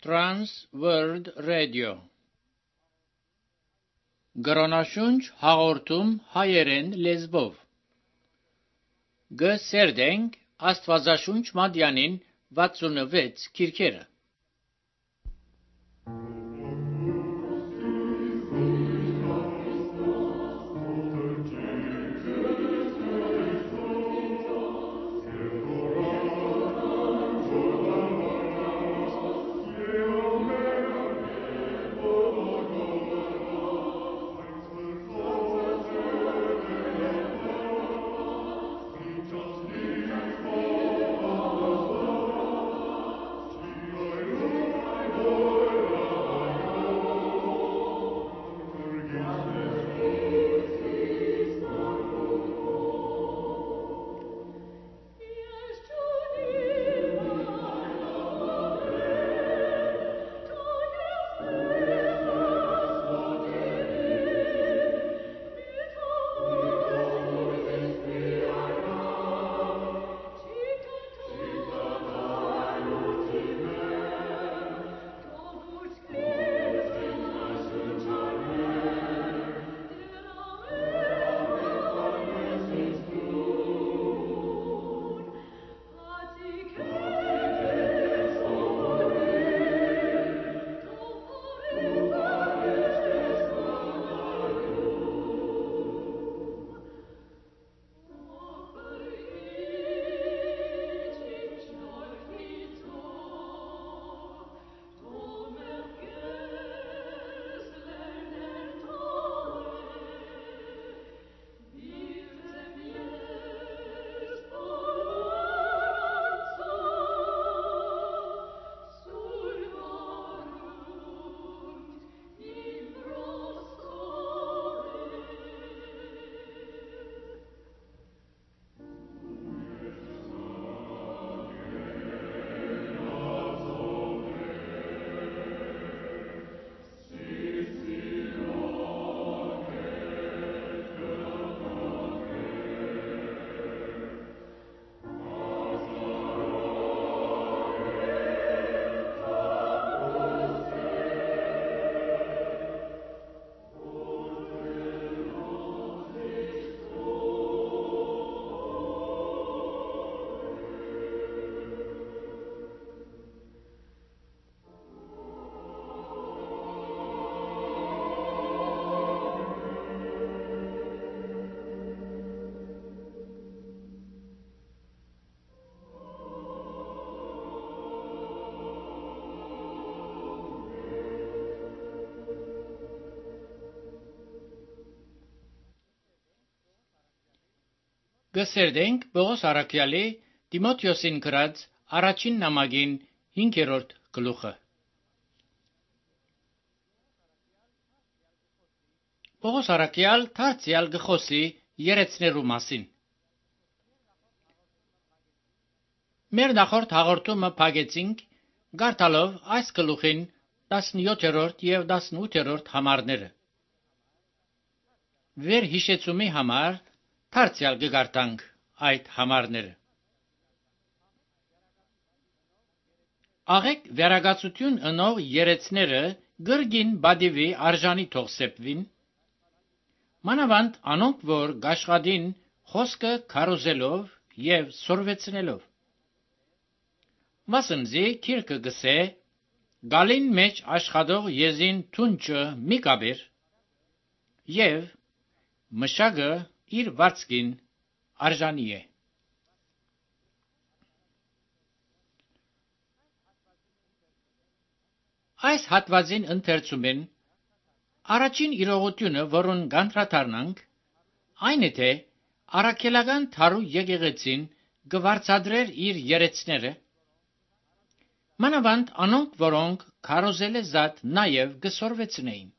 Trans World Radio Գրոնաշունչ հաղորդում հայերեն լեզվով Գսերդենք Աստվածաշունչ Մատյանին 66 քիրքերը Գսերդենք Պողոս Արաքյալի Տիմոթեոսին գրած առաջին նամակին 5-րդ գլուխը Պողոս Արաքյալ դարձյալ գխոսի երեցներու մասին Մեր նախորդ հաղորդումը փակեցինք գարտալով այս գլուխին 17-րդ եւ 18-րդ համարները Վեր հիշեցումի համար Դարձյալ կգարտանք այդ համարները Աղեք վերագացություն ընող երեցները գրգին բադիվի արժանի թող սեպվին մանավանդ անոնք որ գաշխադին խոսքը քարոզելով եւ սորվեցնելով Մասնզի քիրքը գսե գալին մեջ աշխատող եզին թունչը մի կաբեր եւ մշակը իր վարձքին արժանի է Այս հատվածին ընթերցումեն առաջին իրողությունը, որոնց գանդրադառնանք, այն է թե առաքելական թարու եկեղեցին գվարձադրեր իր երեցները, մանավանդ անոնք, որոնք քարոզել է զատ նաև գսորվեցնեին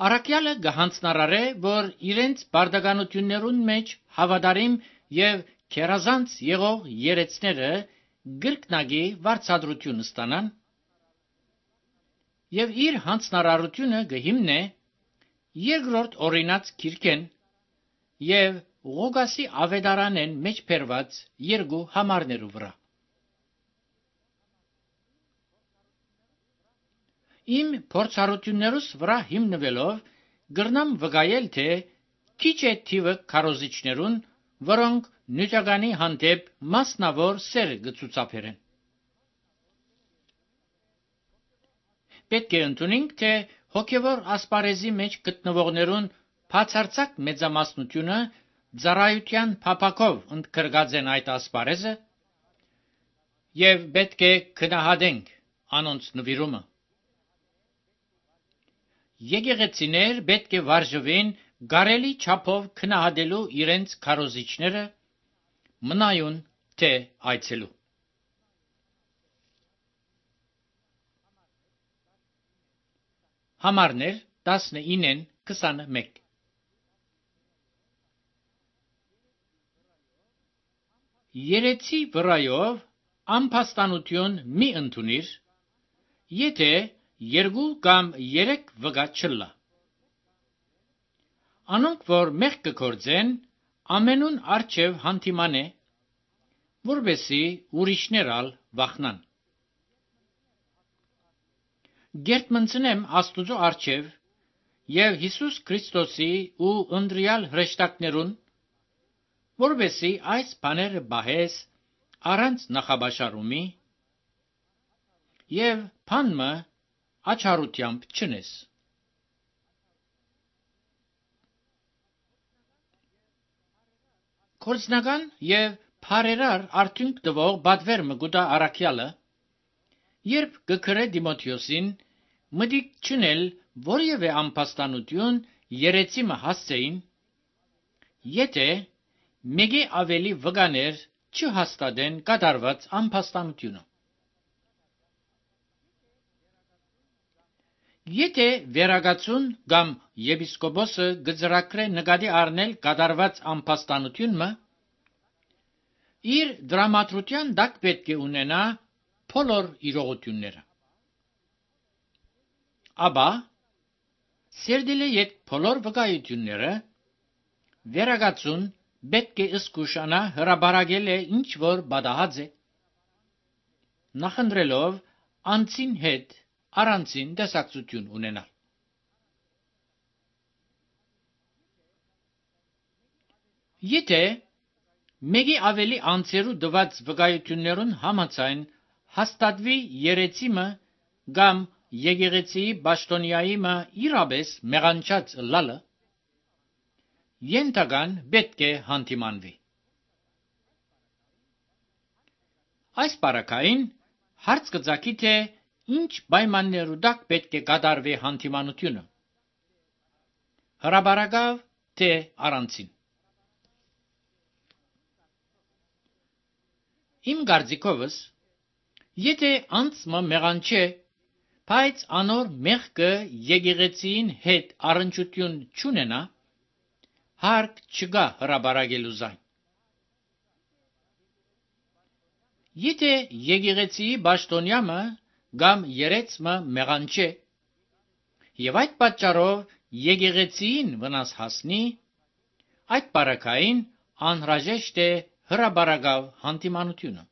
Արաքյալը գհանցնարարե, որ իրենց բարդականություններուն մեջ հավատարիմ եւ քերազանց եղող երեցները գրկնագի վարձատրություն ստանան եւ իր հանցնարարությունը գհիմնե երկրորդ օրինաց քիրքեն եւ Ղուգասի ավետարանեն մեջ բերված երկու համարներու վրա Իմ փորձառություններուս վրա հիմնվելով գրնամ վկայել, թե քիչ է թիվը քարոզիչներուն, որոնք նյութականի հանդեպ մասնավոր սեր կցուցաբերեն։ Պետք է ընդունենք, թե հոգևոր ասպարեզի մեջ գտնվողներուն բացարձակ մեծամասնությունը ծառայության փափակով ընդգրկած են այդ ասպարեզը եւ պետք է գնահատենք անոնց նվիրումը։ Եկեղեցիներ պետք է վարժվեն գարելի չափով քնահատելու իրենց քարոզիչները, մնայուն թե այցելու։ Համարներ 19-ն 21 Երեցի վրայով ամփաստանություն մի ընդունիր, եթե 2 կամ 3 վկա չլա։ Անոնք, որ մեղք կգործեն, ամենուն առջև հանդիմանե, որպեսզի ուրիշներ ալ վախնան։ Գերտմնցնեմ Աստուծո առջև եւ Հիսուս Քրիստոսի ու ընտրյալ հրեշտակներուն, որպեսզի այս բաները բահես առանց նախաբաշարումի եւ բանմը աչառությամբ չնես։ Կորձնական եւ փարերար արդյունք տվող բադվերմը գուտա առաքյալը, երբ գկրե Դիմոթեոսին, մտիկ չնել որևէ ամփաստանություն երեցիմը հասցեին, եթե մեկի ավելի վկաներ չհաստատեն կատարված ամփաստանությունը։ Եթե վերագացուն կամ եպիսկոպոսը գծրակրե նկատի առնել կատարված ամփաստանությունը, իր դրամատրության տակ պետք է ունենա բոլոր իրողությունները։ Աբա սերդիլի ետ բոլոր վկայությունները վերագացուն պետք է զգուշանա հրաբարակել է ինչ որ բադահած է, նախընտրելով անցին հետ առանցին տեսակցություն ունենալ։ Եթե մեկի ավելի անձերու դված վկայություններուն համաձայն հաստատվի երեցիմը կամ եկեղեցիի պաշտոնյայիմը իրապես մեղանչած լալը, ենթական պետք է հանդիմանվի։ Այս բարակային հարց կծագի, թե ինչ պայմաններու տակ պետք է կատարվի հանդիմանությունը, հրաբարակավ թե առանցին։ Իմ կարծիքովս, եթե անձը մեղանչե, բայց անոր մեղքը եկեղեցին հետ առնչություն չունենա, հարկ չկա հրաբարակելու զայն։ Եթե եկեղեցիի պաշտոնյամը կամ երեցմը մեղանչե եւ այդ պատճառով եկեղեցիին վնաս հասնի, այդ բարակային անհրաժեշտ է հրաբարակավ հանդիմանությունը։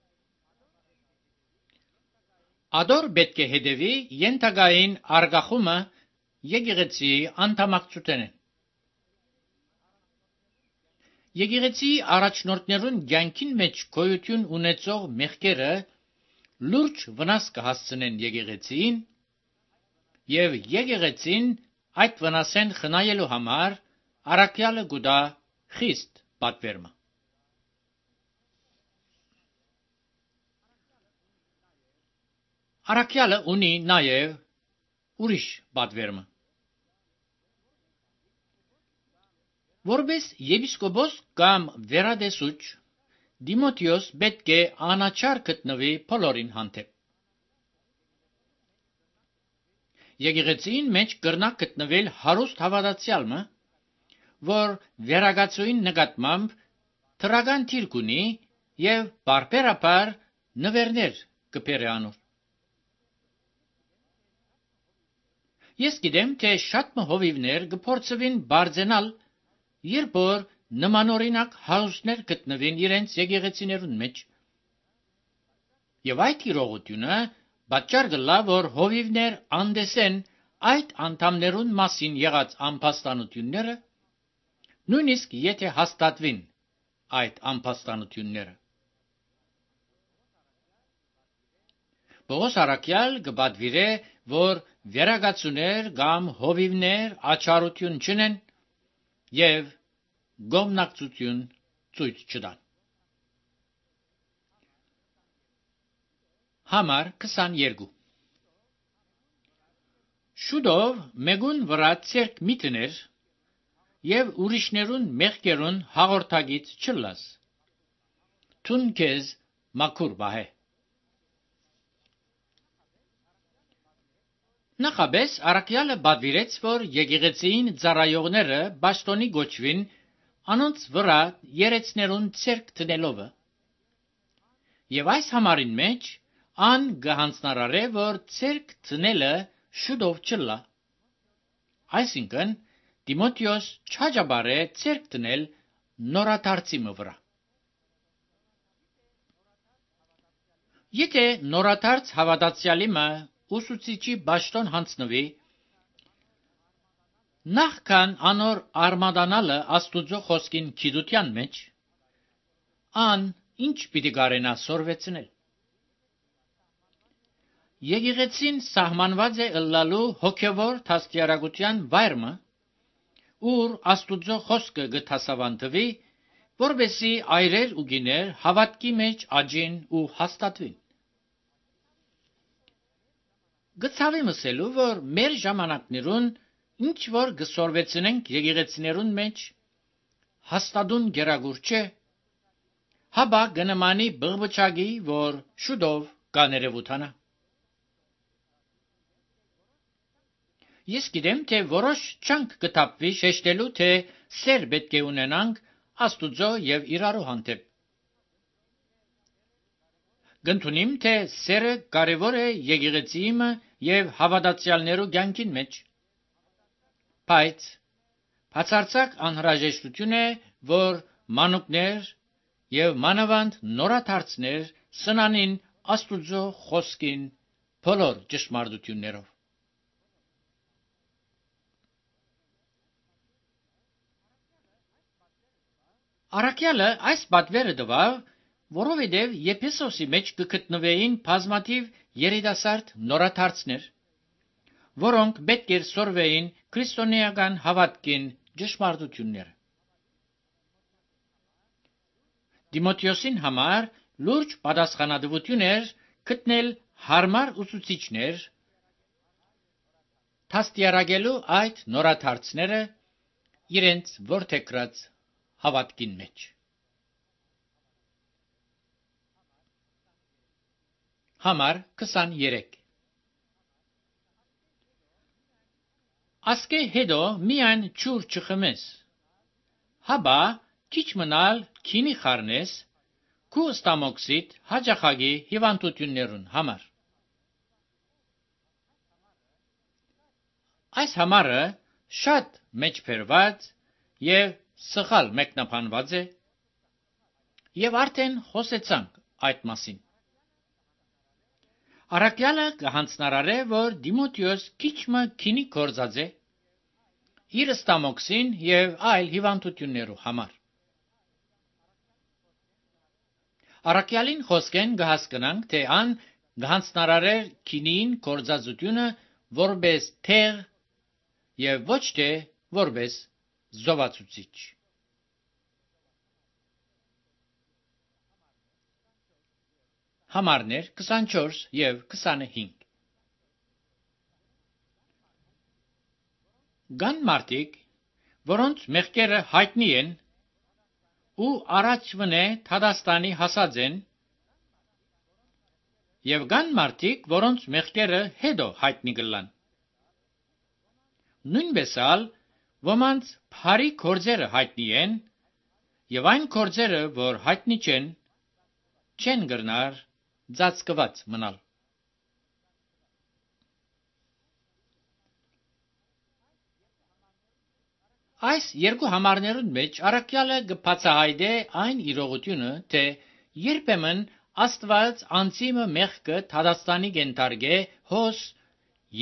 Ադոր պետք է հետևի ենթակային արգախումը եկեղեցիի անդամակցութենեն։ Եկեղեցիի առաջնորդներուն կյանքին մեջ գոյություն ունեցող մեղքերը լուրջ վնաս կհասցնեն եկեղեցիին եւ եկեղեցին այդ վնասեն խնայելու համար առաքյալը գուտա խիստ պատվերմը։ Առաքյալը ունի նաեւ ուրիշ պատվերմը։ Որպես եպիսկոպոս կամ վերադեսուչ, Դիմոթեոս պետք է անաչար գտնվի բոլորին հանդեպ։ Եկեղեցին մեջ կրնա գտնվել հարուստ հավատացյալը, որ վերագացույն նկատմամբ թրական թիրք ունի եւ բարբերաբար նվերներ կբերի անոր։ Ես գիտեմ, թե շատ հովիվներ կփորձվին բարձենալ, երբ որ նմանօրինակ հարուստներ գտնվին իրենց եկեղեցիներուն մեջ, եւ այդ իրողությունը Պատճառ կլա, որ հովիվներ անդեսեն այդ անդամներուն մասին եղած անփաստանությունները, նույնիսկ եթե հաստատվին այդ անփաստանությունները։ Պողոս առաքյալ կպատվիրե, որ վերագացուներ կամ հովիվներ աչառություն չնեն եւ գոմնակցություն ցույց չտան։ Համար 22 Շուտով մեգուն վրա ցերկ միտներ եւ ուրիշներուն մեղքերուն հաղորդագից չլաս։ Թուն քեզ մաքուր բահե։ Նախաբես առաքյալը պատվիրեց, որ եկեղեցին ծառայողները բաշտոնի գոչվին անոնց վրա երեցներուն ցերկ տնելով։ Եվ այս համարին մեջ ան գահանցնարարե, որ ցերկ տնելը շուտով չլա։ Այսինքն Տիմոթեոս չհաջաբարե ցերկ տնել նորադարձի վրա։ Եթե նորադարձ հավատացյալի մը ուսուցիչի բաշտոն հանձնվի, նախքան անոր արմադանալը Աստուծո խոսքին գիտության մեջ, ան ինչ պիտի կարենա սորվեցնել։ Եկեղեցին սահմանված է ըլլալու հոգևոր դաստիարակության վայրը, ուր Աստուծո խոսքը գտասավանդվի, որբեսի այրեր ու գիներ հավատքի մեջ աճին ու հաստատվին։ Գցավի մսելու, որ մեր ժամանակներուն ինչ որ գսորվեցնենք եկեղեցիներուն մեջ, հաստատուն գերագուր չէ, հաբա գնմանի բղբճագի, որ շուտով կաներևութանա։ Ես գիտեմ, թե որոշ չանք կտապվի շեշտելու, թե սեր պետք է ունենանք Աստուծո եւ իրարու հանդեպ։ Գնդունիմ, թե սերը կարևոր է եկեղեցիի եւ հավատացյալներու կյանքին մեջ։ Բայց բացարձակ անհրաժեշտություն է, որ մանուկներ եւ մանավանդ նորադարձներ սնանին Աստուծո խոսքին բոլոր ճշմարտություններով։ Առաքյալը այս պատվերը տվավ, որովհետև Եփեսոսի մեջ կգտնվեին բազմաթիվ երիտասարդ նորադարձներ, որոնք պետք էր սորվեին քրիստոնեական հավատքին ճշմարտությունները։ Տիմոթեոսին համար լուրջ պատասխանատվություն էր գտնել հարմար ուսուցիչներ, դաստիարակելու այդ նորադարձները իրենց որդեգրած հավատքին մեջ։ Համար 23 Ասկե հետո միայն ջուր չխմես, հաբա քիչ մնալ քինի խառնես, քու ստամոքսիդ հաջախագի հիվանդություններուն համար։ Այս համարը շատ մեջբերված եւ սխալ մեկնաբանված է, եւ արդեն խոսեցանք այդ մասին։ Առաքյալը կհանձնարարե, որ Տիմոթեոս քիչմը քինի կորձած է իր ստամոքսին եւ այլ հիվանդություններու համար։ Առաքյալին խոսքեն կհասկանանք, թե ան կհանձնարարեր քինին կորձածությունը որպես թեղ եւ ոչ թե որպես զովացուցիչ։ Համարներ 24 եւ 25 Կան մարդիկ, որոնց մեղքերը հայտնի են ու առաջվնե Թադաստանի հասած են, եւ կան մարդիկ, որոնց մեղքերը հետո հայտնի կլան։ Նույնպես ալ ոմանց բարի գործերը հայտնի են, եւ այն գործերը, որ հայտնի չեն գրնար ծածկված մնալ։ Այս երկու համարներուն մեջ առաքյալը կբացահայտե այն իրողությունը, թե երբեմն Աստված անցիմը մեղքը Թադաստանի կենթարգե հոս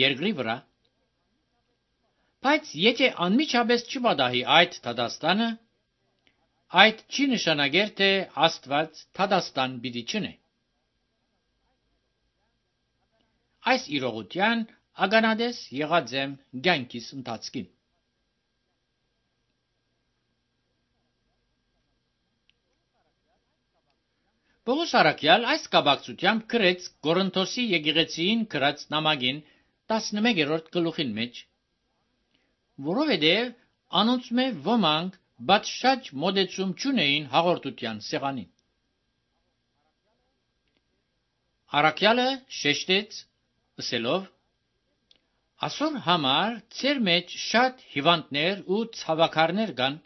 երկրի վրա, բայց եթե անմիջապես չպատահի այդ Թադաստանը, այդ չի նշանակեր, թե Աստված Թադաստան պիտի չնե։ Այս իրողության ականատես եղած եմ կյանքիս ընթացքին։ Պողոս առաքյալ այս կապակցությամբ գրեց Կորինթոսի եկեղեցիին գրած նամակին 11-րդ գլուխին մեջ, որովհետև անոնց մե ոմանք բացշաճ մոտեցում չունեին հաղորդության սեղանին։ Առաքյալը շեշտեց ասելով. «Այսօր համար ծեր մեջ շատ հիվանդներ ու ցավաքարներ կան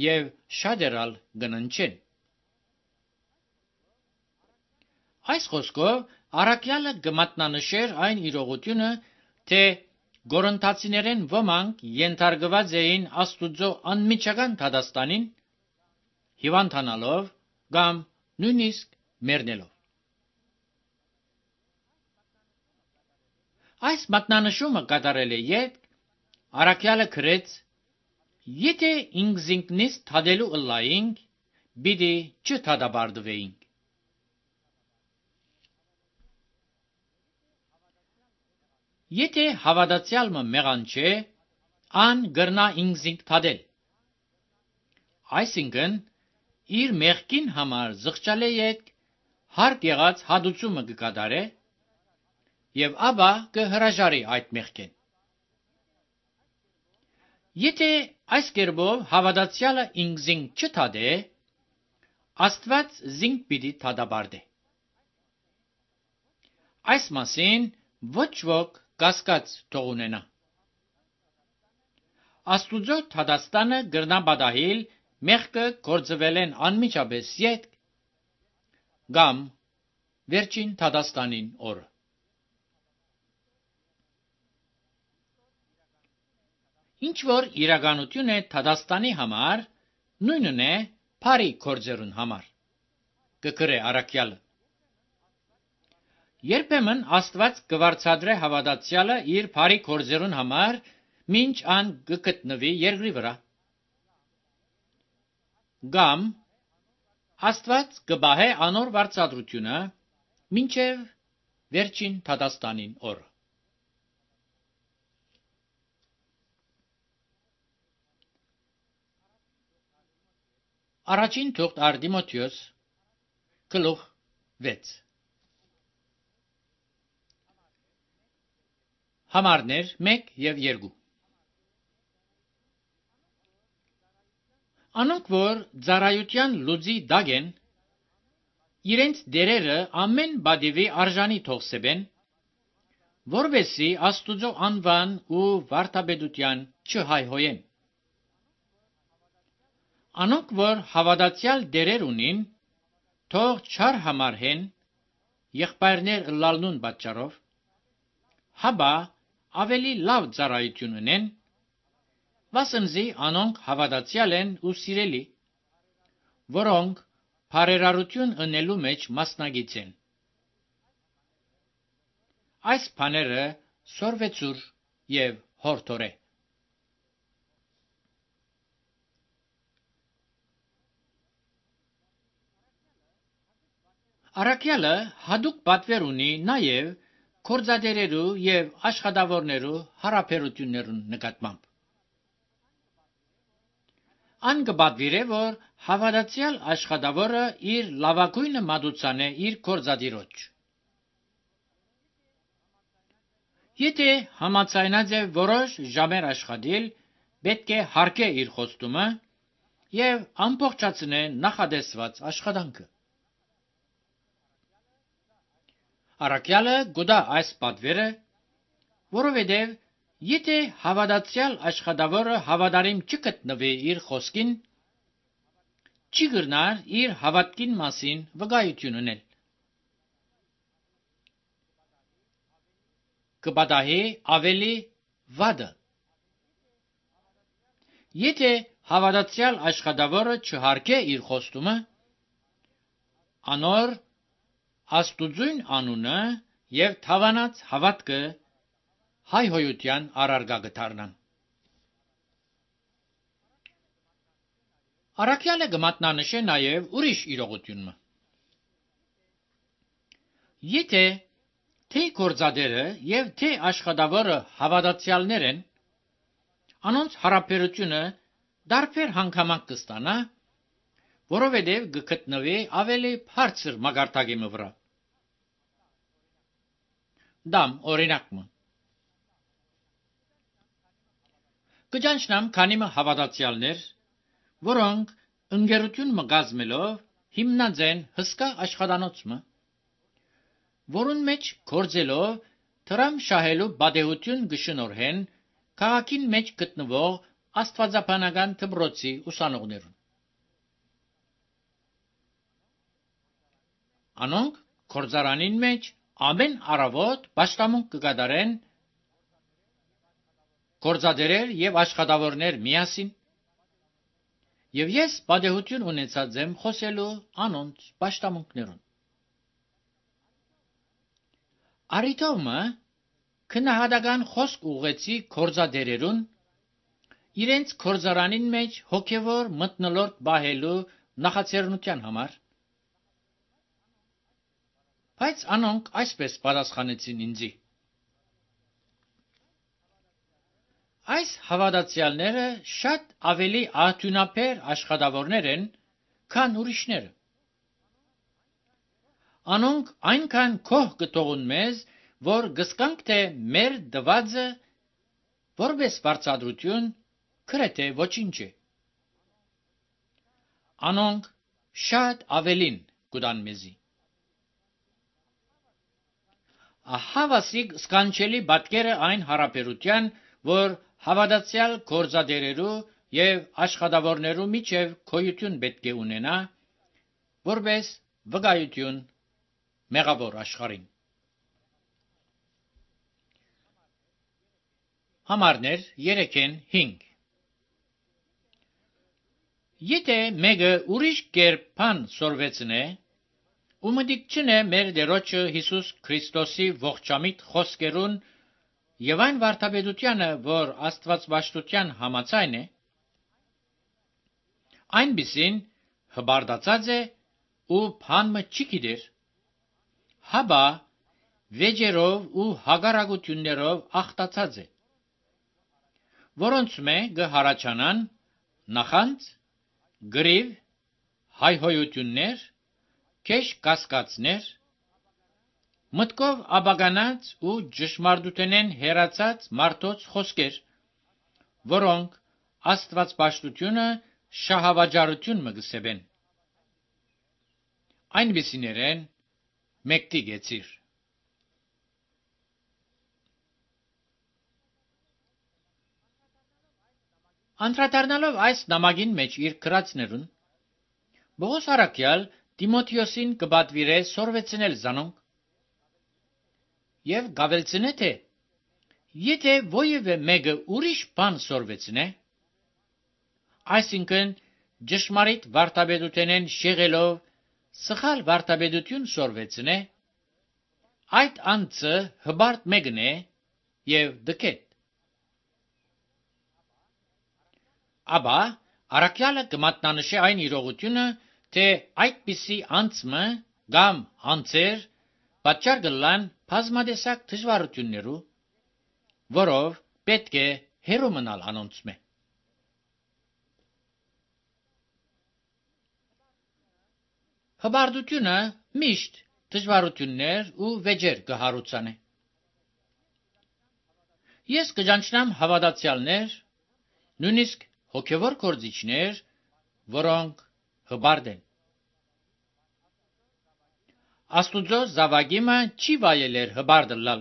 եւ շատերալ կննչեն»։ Այս խոսքով առաքյալը կմատնանշեր այն իրողությունը, թե Կորինթացիներեն ոմանք ենթարկված էին Աստուծո անմիջական Թադաստանին, հիվանդանալով կամ նույնիսկ մեռնելով։ Այս մատնանշումը կատարել է յետ առաքյալը գրեց. «Եթե ինքզինքնից թադելու ըլլայինք, պիտի չթադաբարդվեինք»։ Եթե հավատացյալը մեղան չէ, ան գրնա ինքզինք թադել։ Այսինքն, իր մեղքին համար զղջալե եք հարկ եղած հադուցումը կկատարե եւ ապա կհրաժարի այդ մեղքեն։ Եթե այս կերպով հավատացյալը ինքզինք չթադե, Աստված զինք պիտի թադաբարդե։ Այս մասին ոչ ոք կասկած թող ունենա։ Աստուծո Թադաստանը գրնա պատահիլ մեղքը գործվելեն անմիջապես յետ կամ վերջին Թադաստանին օրը։ Ինչ որ իրականություն է Թադաստանի համար, նույնն է բարի գործերուն համար, կգրե առաքյալը։ Երբեմն Աստված կվարձատրե հավատացյալը իր բարի գործերուն համար, մինչ ան կգտնվի երկրի վրա։ Կամ Աստված կբահե անոր վարձատրությունը մինչև վերջին Թադաստանին օրը։ Առաջին թուղթ Արտիմոթեոս գլուխ 6 Համարներ 1 եւ 2 Անոնք, որ ծառայության լուծի դակ են, իրենց դերերը ամեն բադիվի արժանի թողսեբեն, որովհետեւ Աստուծո անվան ու վարդապետության չհայհոյեն։ Անոնք, որ հավատացյալ դերեր ունին, թող չար համարհեն եղբայրներ ըլլալնուն պատճառով, հաբա ավելի լավ ծառայություն ունեն, վասնզի անոնք հավատացյալ են ու սիրելի, որոնք բարերարություն ընելու մեջ մասնագիծ են։ Այս բաները սորվեցուր եւ հորթորե։ Առաքյալը հadoop պատվեր ունի նաեւ կորձադերերու եւ աշխատավորներու հարաբերություններուն նկատմամբ։ Ան կպատվիրե, որ հավատացյալ աշխատավորը իր լավագույնը մատուցանե իր կորձադիրոջ։ Եթե համաձայնած է որոշ ժամեր աշխատել, պետք է հարգե իր խոստումը եւ ամբողջացնե նախադեсված աշխատանքը։ Առաքյալը գուտա այս պատվերը, որովհետև եթե հավատացյալ աշխատավորը հավատարիմ չգտնվի իր խոսքին, չի գրնար իր հավատքին մասին վկայություն ունել։ Կպատահի ավելի վատը։ Եթե հավատացյալ աշխատավորը չհարգե իր խոստումը, անոր Աստուծույն անունը եւ թավանած հավատքը հայհոյության առարգա գտարնան։ Առաքյալը կմատնանշե նաև ուրիշ իրողությունը։ Եթե թե գործադերը եւ թե աշխատավորը հավատացյալներ են, անոնց հարաբերությունը դարբեր հանգամանք կստանա, որովհետև կգտնվի ավելի բարձր մագարտակի վրա։ Դամ օրինակը կճանչնամ քանիմը հավատացյալներ, որոնք ընկերություն մգազմելով հիմնած են հսկա աշխատանոցը, որուն մեջ գործելով դրամ շահելու բադեհություն կշնորհեն քաղաքին մեջ գտնվող աստվածաբանական դպրոցի ուսանողներուն։ Անոնք գործարանին մեջ ամեն առավոտ պաշտամունք կկատարեն գործադերեր եւ աշխատավորներ միասին, եւ ես բադեհություն ունեցած եմ խոսելու անոնց պաշտամունքներուն։ Արիտոմը քնահատական խոսք ուղեցի գործադերերուն իրենց գործարանին մեջ հոգևոր մթնոլորտ բահելու նախաձեռնության համար, բայց անոնք այսպես պատասխանեցին ինձի. այս հավատացյալները շատ ավելի արտունաբեր աշխատավորներ են, քան ուրիշները։ Անոնք այնքան քոհ կտողուն մեզ, որ գսկանք թե մեր դվածը որպես վարձատրություն գրեթե ոչինչ է։ Անոնք շատ ավելին կուտան մեզի։ Ահավասիկ սկանչելի պատկերը այն հարաբերության, որ հավատացյալ գործադերերու եւ աշխատավորներու միջև քոյություն պետք է ունենա, որպես վկայություն մեղավոր աշխարհին։ Համարներ 3-5 Եթե մեկը ուրիշ կերպ բան սորվեցնե, ու մտիկ չնե մեր Տերոջը Հիսուս Քրիստոսի ողջամիտ խոսքերուն եւ այն վարդապետությանը, որ Աստվածաշտության համաձայն է, այնպիսին հբարդացած է ու բանմը չի գիտեր, հաբա վեճերով ու հագարակություններով ախտացած է, որոնց մե կհարաչանան նախանց, գրիվ, հայհոյություններ, քեշ կասկածներ, մտքով աբագանած ու ճշմարտութենեն հեռացած մարդոց խոսքեր, որոնք Աստվածաշտությունը շահավաճառություն մը գսեբեն։ Այնպիսիներեն մեկտի գեցիր։ Անդրադառնալով այս նամակին մեջ իր գրածներուն, Պողոս առաքյալ Տիմոթեոսին կպատվիրե սորվեցնել զանոնք եւ գավելցնե թե եթե ոևէ մեկը ուրիշ բան սորվեցնե, այսինքն ճշմարիտ վարդապետութենեն շեղելով սխալ վարդապետություն սորվեցնե, այդ անձը հբարտ մեկն է եւ դքետ։ Աբա առաքյալը կմատնանշե այն իրողությունը, թե այդպիսի անձը կամ անձեր պատճառ կլան բազմադեսակ դժվարություններու, որով պետք է հեռու մնալ անոնց մե։ Հբարդությունը միշտ դժվարություններ ու վեճեր կհարուցանե։ Ես կճանչնամ հավատացյալներ, նույնիսկ հոգևոր գործիչներ, որոնք հբարդ են։ Աստուծո զավակիմը չի վայելեր հբարդը լալ,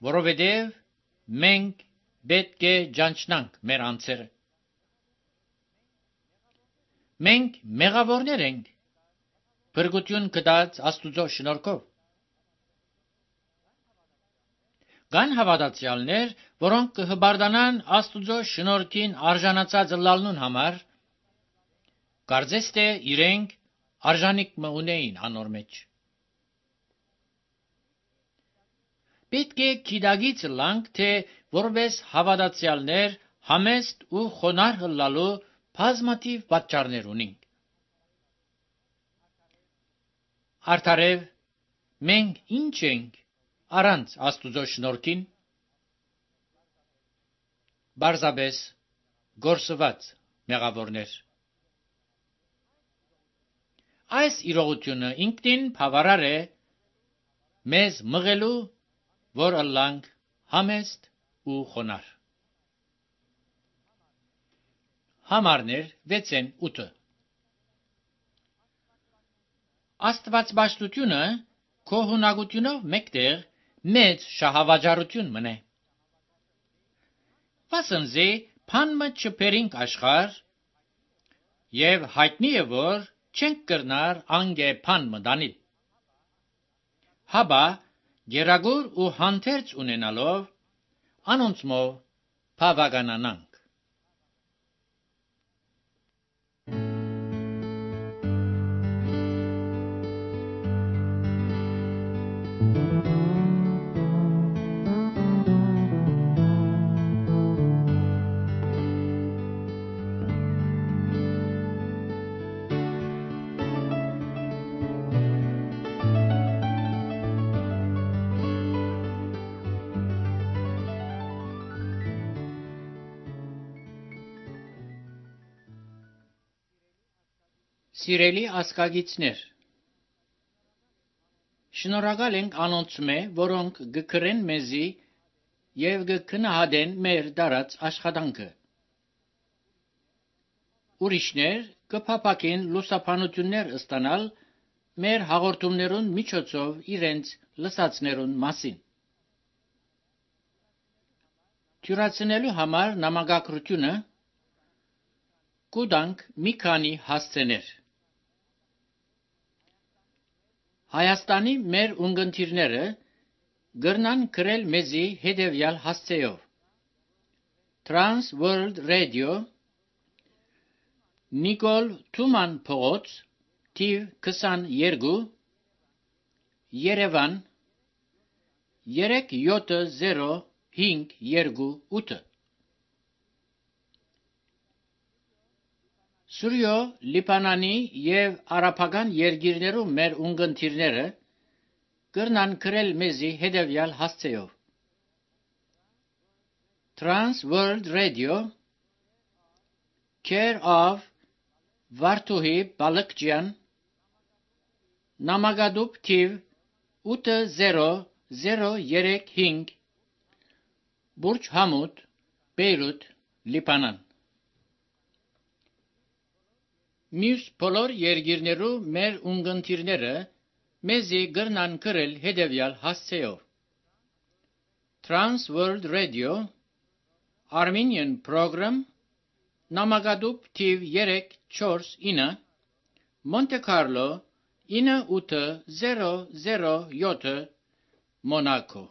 որովհետև մենք պետք է ճանչնանք մեր անձերը։ Մենք մեղավորներ ենք, փրկություն կտած Աստուծո շնորհքով։ Կան հավատացյալներ, որոնք կհբարդանան Աստուծո շնորհքին արժանացած լալնուն համար, կարծես թե իրենք արժանիք մը ունեին անոր մեջ։ Պետք է գիտագից լանք, թե որպես հավատացյալներ համեստ ու խոնարհ լալու բազմաթիվ պատճառներ ունենք։ Արդարև մենք ինչ ենք առանց Աստուծո շնորհքին։ Բարձաբես գործված մեղավորներ։ Այս իրողությունը ինքնին բավարար է մեզ մղելու, որ ըլլանք համեստ ու խոնարհ։ Համարներ 6-8 Աստվածաշտությունը քոհունակությունով մեկտեղ մեծ շահավաճառություն մնե։ Վասնզի փանմը չփերինք աշխարհ եւ հայտնի է որ չենք կրնար անգե փանմը դանիլ։ Հաբա գերագուր ու հանդերձ ունենալով անոնցմով բավականանանք։ Սիրելի ասկագիցներ, շնորհակալ ենք անոնցմե, որոնք գկրեն մեզի եւ գքնահատեն մեր դարած աշխատանքը։ Ուրիշներ կփապակեն լուսաբանություններ ստանալ մեր հաղորդումներուն միջոցով իրենց լսածներուն մասին։ Թյուրացնելու համար նամակագրությունը կուտանք մի քանի հասցեներ։ Հայաստանի մեր ունգընտիրները գրնան գրել մեզի հետևյալ հասցեով. Trans World Radio, Նիկոլ Թուման փողոց, թիվ 22, Երևան 37058 Սուրյո Լիբանանի եւ արաբական երկիրներում մեր ունգընտիրները գրնան գրել մեզի հետևյալ հասցեով. Trans World Radio, Care of Վարդուհի Բալկջյան, Նամակադուբ թիվ 8035, Բուրջ Համուդ, Բեյրութ, Լիբանան։ Մյուս բոլոր երկիրներու մեր ունգընտիրները մեզի գրնան գրել հետևյալ հասցեով. Trans World Radio, Armenian Program, Նամակադուբ թիվ 349, Monte Carlo 9807, Monaco։